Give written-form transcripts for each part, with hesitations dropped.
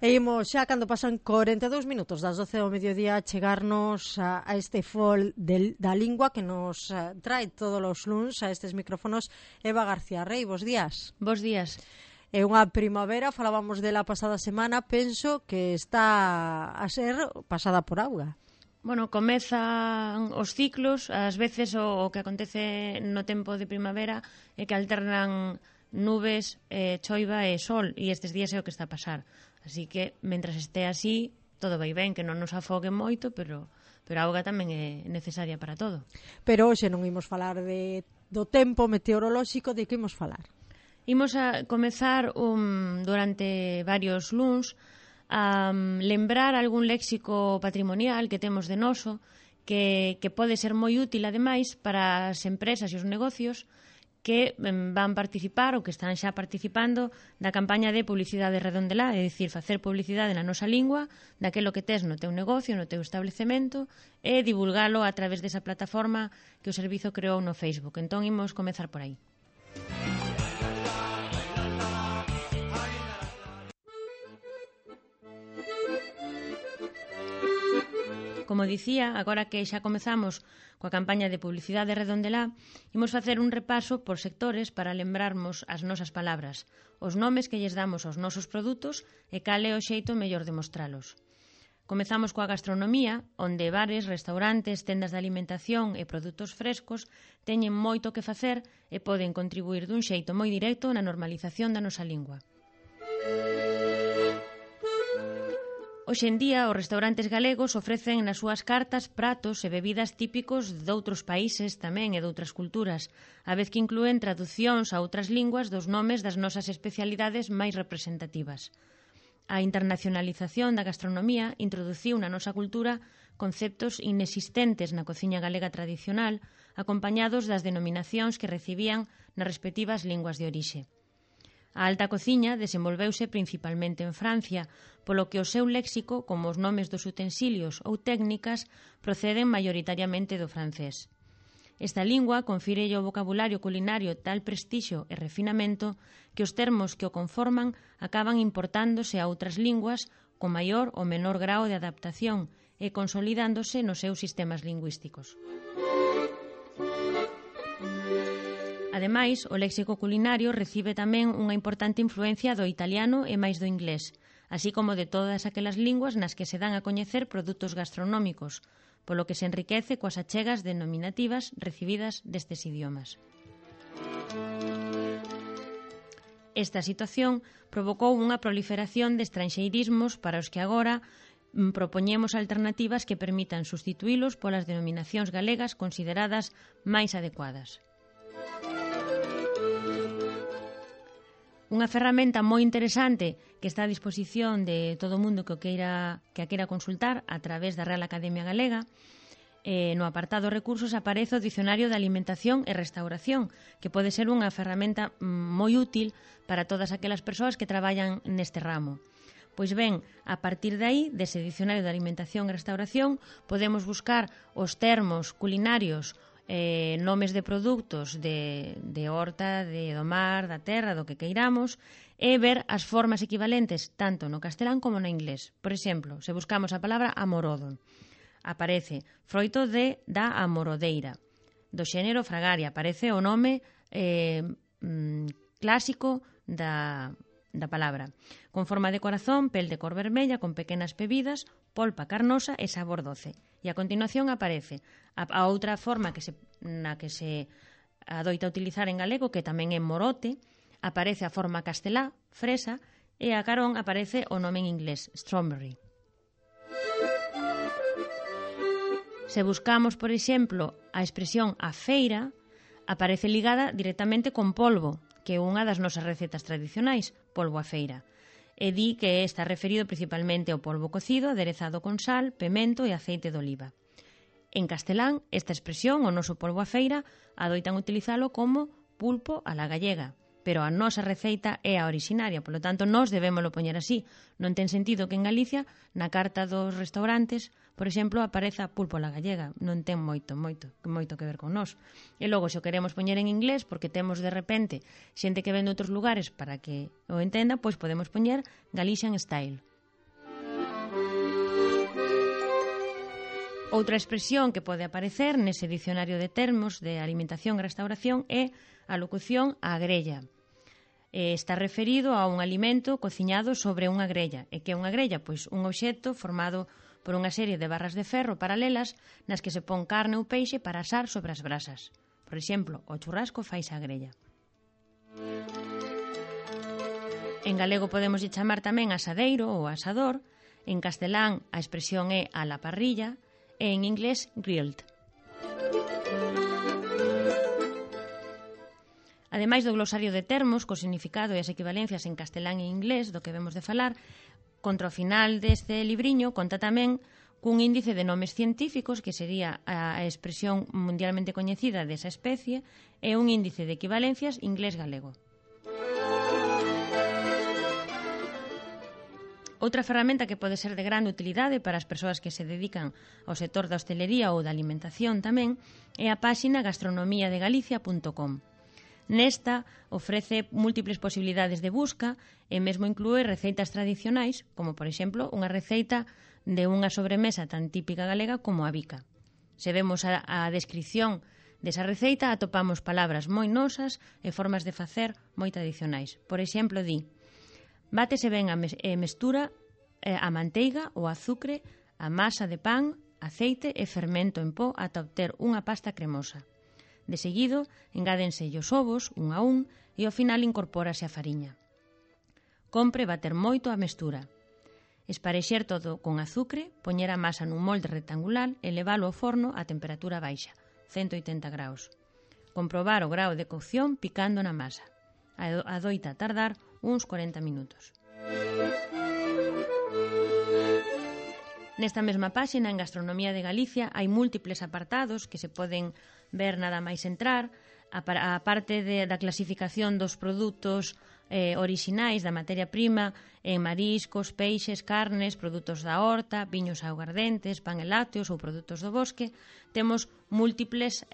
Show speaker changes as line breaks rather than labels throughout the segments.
E imos xa cando pasan 42 minutos das 12 do mediodía chegarnos a este fol da lingua que nos trae todos os luns a estes micrófonos Eva García Rey. Bos días.
Bos días.
É unha primavera, falábamos dela pasada semana, penso que está a ser pasada por auga.
Bueno, comezan os ciclos, ás veces o que acontece no tempo de primavera é que alternan nubes, choiva e sol, e estes días é o que está a pasar. Así que, mentras este así, todo vai ben, que non nos afogue moito, pero a auga tamén é necesaria para todo.
Pero hoxe non imos falar do tempo meteorolóxico, de que imos falar?
Imos a comezar durante varios luns a lembrar algún léxico patrimonial que temos de noso, que pode ser moi útil, ademais, para as empresas e os negocios que van participar ou que están xa participando da campaña de publicidade redondelá, é dicir, facer publicidade na nosa lingua daquelo que tes no teu negocio, no teu establecemento, e divulgalo a través desa plataforma que o servizo creou no Facebook. Entón, imos comezar por aí. Como dicía, agora que xa comezamos coa campaña de publicidade redondelá, imos facer un repaso por sectores para lembrarmos as nosas palabras, os nomes que lles damos aos nosos produtos e cal é o xeito mellor de mostralos. Comezamos coa gastronomía, onde bares, restaurantes, tendas de alimentación e produtos frescos teñen moito que facer e poden contribuir dun xeito moi directo na normalización da nosa lingua. Hoxe en día, os restaurantes galegos ofrecen nas súas cartas pratos e bebidas típicos doutros países tamén e doutras culturas, a vez que inclúen traducións a outras linguas dos nomes das nosas especialidades máis representativas. A internacionalización da gastronomía introduciu na nosa cultura conceptos inexistentes na cociña galega tradicional, acompañados das denominacións que recibían nas respectivas linguas de orixe. A alta cociña desenvolveuse principalmente en Francia, polo que o seu léxico, como os nomes dos utensilios ou técnicas, proceden maioritariamente do francés. Esta lingua confírelle ao vocabulario culinario tal prestixio e refinamento que os termos que o conforman acaban importándose a outras linguas con maior ou menor grao de adaptación e consolidándose nos seus sistemas lingüísticos. Ademais, o léxico culinario recibe tamén unha importante influencia do italiano e máis do inglés, así como de todas aquelas linguas nas que se dan a coñecer produtos gastronómicos, polo que se enriquece coas achegas denominativas recibidas destes idiomas. Esta situación provocou unha proliferación de estranxeirismos para os que agora propoñemos alternativas que permitan substituílos polas denominacións galegas consideradas máis adecuadas. Unha ferramenta moi interesante que está a disposición de todo o mundo que a queira consultar a través da Real Academia Galega. No apartado recursos aparece o Dicionario de Alimentación e Restauración, que pode ser unha ferramenta moi útil para todas aquelas persoas que traballan neste ramo. Pois ben, a partir de aí, dese Dicionario de Alimentación e Restauración, podemos buscar os termos culinarios, nomes de produtos de horta, do mar, da terra, do que queiramos, e ver as formas equivalentes tanto no castelán como no inglés. Por exemplo, se buscamos a palabra amorodo, aparece froito da amorodeira. Do xénero fragaria aparece o nome clásico da palabra. Con forma de corazón, pel de cor vermella, con pequenas pebidas, polpa carnosa e sabor doce. E a continuación aparece a outra forma na que se adoita utilizar en galego, que tamén é morote, aparece a forma castelá, fresa, e a carón aparece o nome en inglés, strawberry. Se buscamos, por exemplo, a expresión a feira, aparece ligada directamente con polvo, que é unha das nosas recetas tradicionais, polvo a feira. E di que está referido principalmente ao polvo cocido, aderezado con sal, pemento e aceite de oliva. En castelán, esta expresión, o noso polvo a feira, adoitan utilizalo como pulpo a la gallega, pero a nosa receita é a orixinaria, polo tanto, nós debémolo poñer así. Non ten sentido que en Galicia, na carta dos restaurantes, por exemplo, apareza pulpo a la gallega. Non ten moito que ver con nós. E logo, se o queremos poñer en inglés, porque temos de repente xente que ven de outros lugares para que o entenda, pois podemos poñer Galician Style. Outra expresión que pode aparecer nese dicionario de termos de alimentación e restauración é a locución á grella. Está referido a un alimento cociñado sobre unha grella. E que é unha grella? Pois un obxecto formado por unha serie de barras de ferro paralelas nas que se pon carne ou peixe para asar sobre as brasas. Por exemplo, o churrasco faise á grella. En galego podemos chamar tamén asadeiro ou asador. En castelán a expresión é a la parrilla e en inglés grilled. Ademais do glosario de termos, co significado e as equivalencias en castelán e inglés do que vemos de falar, contra o final deste libriño conta tamén cun índice de nomes científicos, que sería a expresión mundialmente coñecida desa especie, e un índice de equivalencias inglés-galego. Outra ferramenta que pode ser de grande utilidade para as persoas que se dedican ao sector da hostelería ou da alimentación tamén é a páxina gastronomiadegalicia.com. Nesta ofrece múltiples posibilidades de busca e mesmo inclúe receitas tradicionais, como por exemplo unha receita de unha sobremesa tan típica galega como a bica. Se vemos a descrición desa receita atopamos palabras moi nosas e formas de facer moi tradicionais. Por exemplo, di: bátese ben e mestura a manteiga, o azucre, a masa de pan, aceite e fermento en pó ata obter unha pasta cremosa. De seguido, engádense os ovos, un a un, e ao final incorpórase a fariña. Compre bater moito a mestura. Esparexer todo con azucre, poñer a masa nun molde rectangular e leválo ao forno a temperatura baixa, 180 graus. Comprobar o grao de cocción picando na masa. Adoita tardar uns 40 minutos. Nesta mesma páxina, en Gastronomía de Galicia, hai múltiples apartados que se poden ver nada máis entrar, a parte da clasificación dos produtos orixinais da materia prima en mariscos, peixes, carnes, produtos da horta, viños augardentes, pan e lácteos ou produtos do bosque. Temos múltiples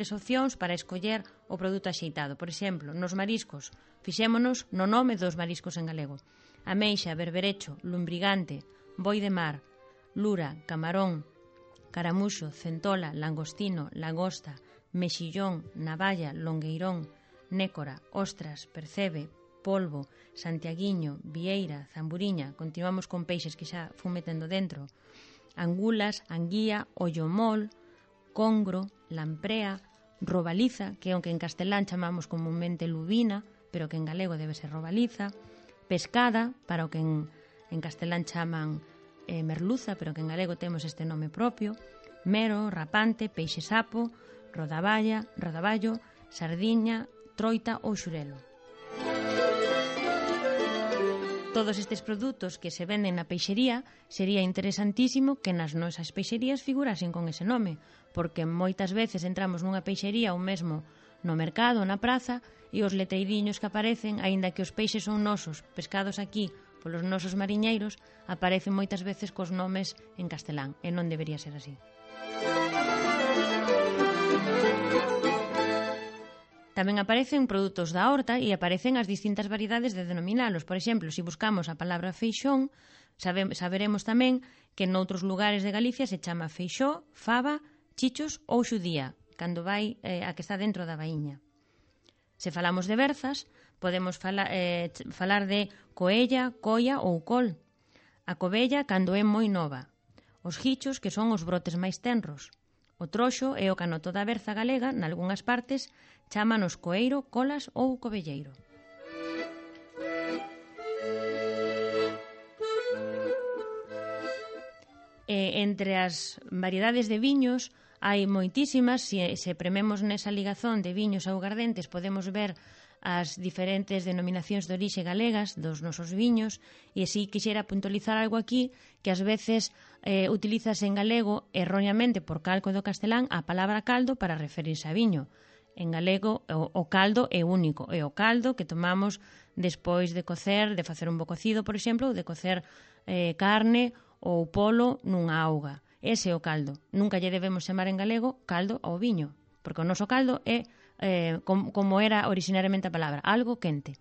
opcións para escoller o produto axeitado. Por exemplo, nos mariscos, fixémonos no nome dos mariscos en galego: ameixa, berberecho, lumbrigante, boi de mar, lura, camarón, caramuxo, centola, langostino, lagosta, mexillón, navalla, longueirón, nécora, ostras, percebe, polvo, santiaguiño, vieira, zamburiña. Continuamos con peixes que xa fun metendo dentro: angulas, anguía, ollomol, congro, lamprea, robaliza, que aunque en castelán chamamos comúnmente lubina, pero que en galego debe ser robaliza, pescada, para o que en castelán chaman merluza, pero que en galego temos este nome propio, mero, rapante, peixe sapo, rodaballo, sardiña, troita ou xurelo. Todos estes produtos que se venden na peixería sería interesantísimo que nas nosas peixerías figurasen con ese nome, porque moitas veces entramos nunha peixería ou mesmo no mercado, na praza, e os letreiriños que aparecen, aínda que os peixes son nosos, pescados aquí polos nosos mariñeiros, aparecen moitas veces cos nomes en castelán, e non debería ser así. Tamén aparecen produtos da horta e aparecen as distintas variedades de denominalos. Por exemplo, se buscamos a palabra feixón, saberemos tamén que noutros lugares de Galicia se chama feixó, fava, chichos ou xudía, cando vai a que está dentro da baíña. Se falamos de berzas, podemos falar de coella, coia ou col. A covella cando é moi nova. Os gichos, que son os brotes máis tenros. O troxo é o canoto da berza galega, nalgunhas partes chámanos coeiro, colas ou covelleiro. Entre as variedades de viños hai moitísimas. Se prememos nesa ligazón de viños augardentes podemos ver as diferentes denominacións de orixe galegas dos nosos viños, e así quixera puntualizar algo aquí, que ás veces utilizase en galego erróneamente por calco do castelán a palabra caldo para referirse a viño. En galego o caldo é único, é o caldo que tomamos despois de cocer, de facer un bo cocido, por exemplo, ou de cocer carne ou polo nunha auga. Ese é o caldo. Nunca lle debemos chamar en galego caldo ao viño, porque o noso caldo é como era originariamente a palabra, algo quente.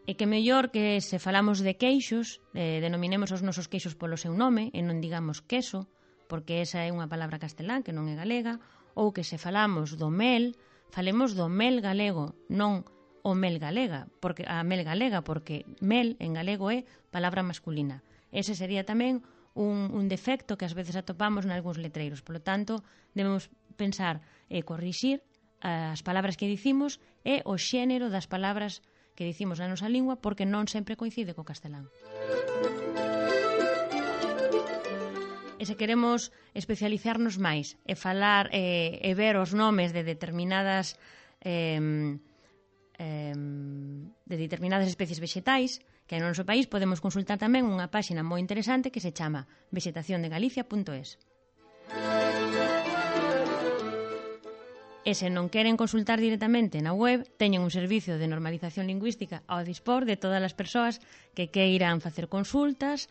E que mellor que se falamos de queixos, denominemos os nosos queixos polo seu nome e non digamos queso, porque esa é unha palabra castelán que non é galega, ou que se falamos do mel, falemos do mel galego, non o mel galega, porque a mel galega, porque mel en galego é palabra masculina. Ese sería tamén un defecto que ás veces atopamos nalgúns letreiros. Por lo tanto, debemos pensar e corrixir as palabras que dicimos e o xénero das palabras que dicimos na nosa lingua, porque non sempre coincide co castelán. E se queremos especializarnos máis e falar e ver os nomes de determinadas especies vexetais que hai no noso país, podemos consultar tamén unha páxina moi interesante que se chama vexetaciondegalicia.es. E se non queren consultar directamente na web, teñen un servicio de normalización lingüística ao dispor de todas as persoas que queiran facer consultas,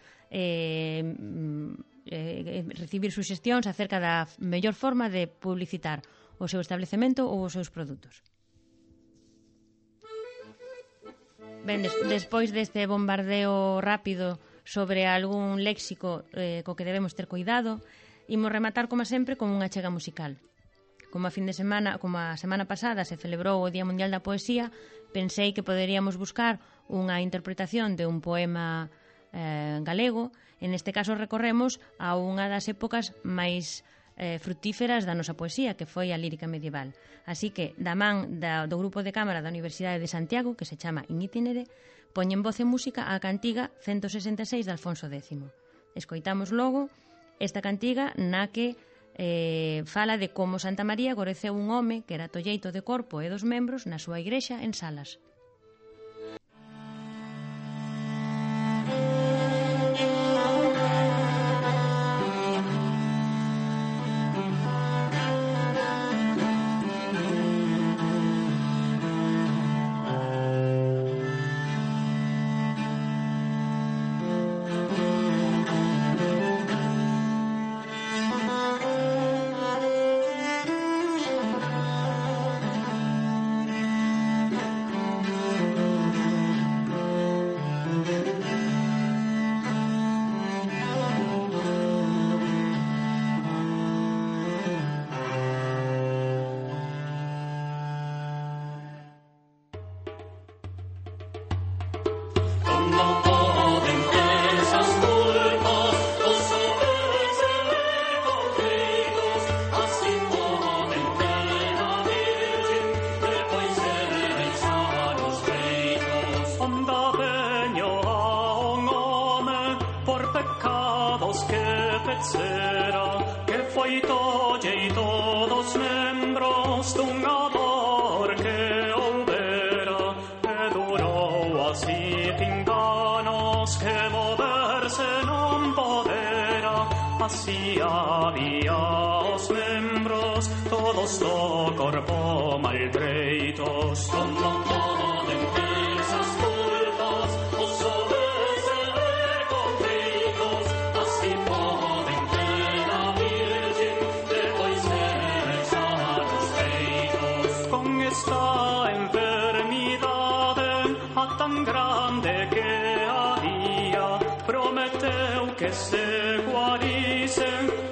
recibir suxestións acerca da mellor forma de publicitar o seu establecemento ou os seus produtos. Ben, despois deste bombardeo rápido sobre algún léxico co que debemos ter cuidado, imos rematar, como sempre, con unha chega musical. Como a semana pasada se celebrou o Día Mundial da Poesía, pensei que poderíamos buscar unha interpretación de un poema galego. En este caso recorremos a unha das épocas máis frutíferas da nosa poesía, que foi a lírica medieval. Así que, da man do grupo de cámara da Universidade de Santiago, que se chama In Itinere, poñen voz e música á cantiga 166 de Alfonso X. Escoitamos logo esta cantiga na que fala de como Santa María goreceu un home que era tolleito de corpo e dos membros na súa igrexa en Salas.
Así había os membros, todos do corpo maltreitos. Como poden esas culpas, os homes recompridos, así poden ter a Virgen, depois echar os peitos. Con esta enfermidade, a tan grande que había, prometeu que se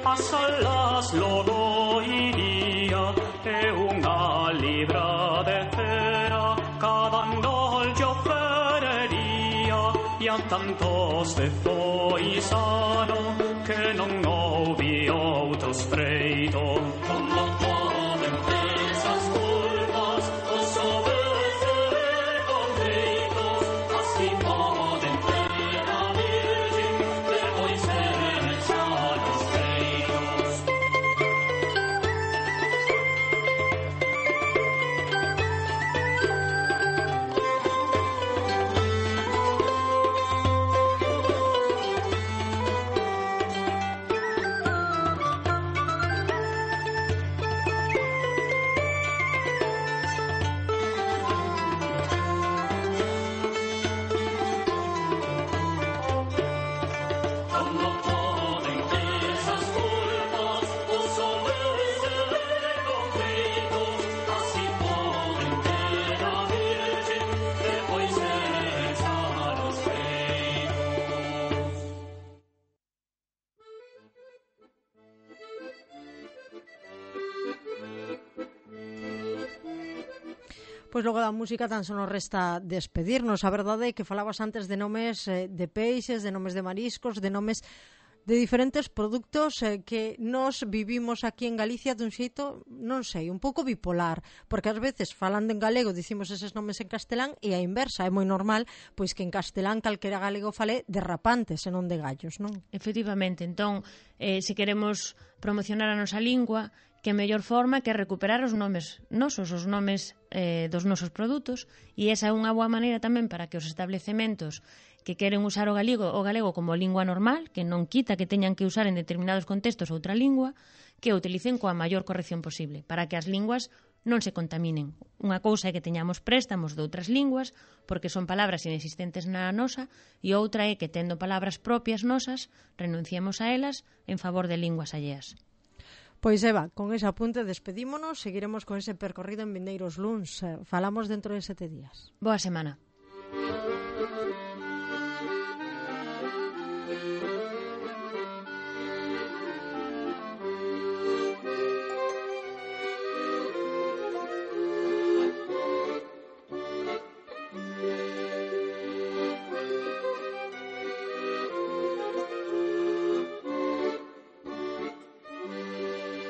a salas logo iría, e unha libra de cera cada nollo ferería, e a tantos de foi sano que non houve outros freito. Como poden esas culpas, os homes recompridos, así poden ter a Virgen, depois echar os peitos.
Pois logo da música tan só nos resta despedirnos. A verdade é que falabas antes de nomes de peixes, de nomes de mariscos, de nomes de diferentes produtos que nos vivimos aquí en Galicia dun xeito, non sei, un pouco bipolar, porque ás veces falando en galego dicimos eses nomes en castelán e a inversa, é moi normal pois que en castelán calquera galego fale de rapantes e non de gallos, non?
Efectivamente, entón, se queremos promocionar a nosa lingua, que mellor forma que recuperar os nomes nosos, os nomes dos nosos produtos, e esa é unha boa maneira tamén para que os establecementos que queren usar o galego como lingua normal, que non quita que teñan que usar en determinados contextos outra lingua, que o utilicen coa maior corrección posible, para que as linguas non se contaminen. Unha cousa é que teñamos préstamos de outras linguas, porque son palabras inexistentes na nosa, e outra é que, tendo palabras propias nosas, renunciemos a elas en favor de linguas alleas.
Pois Eva, con ese apunte despedímonos, seguiremos con ese percorrido en vindeiros luns. Falamos dentro de 7 días.
Boa semana.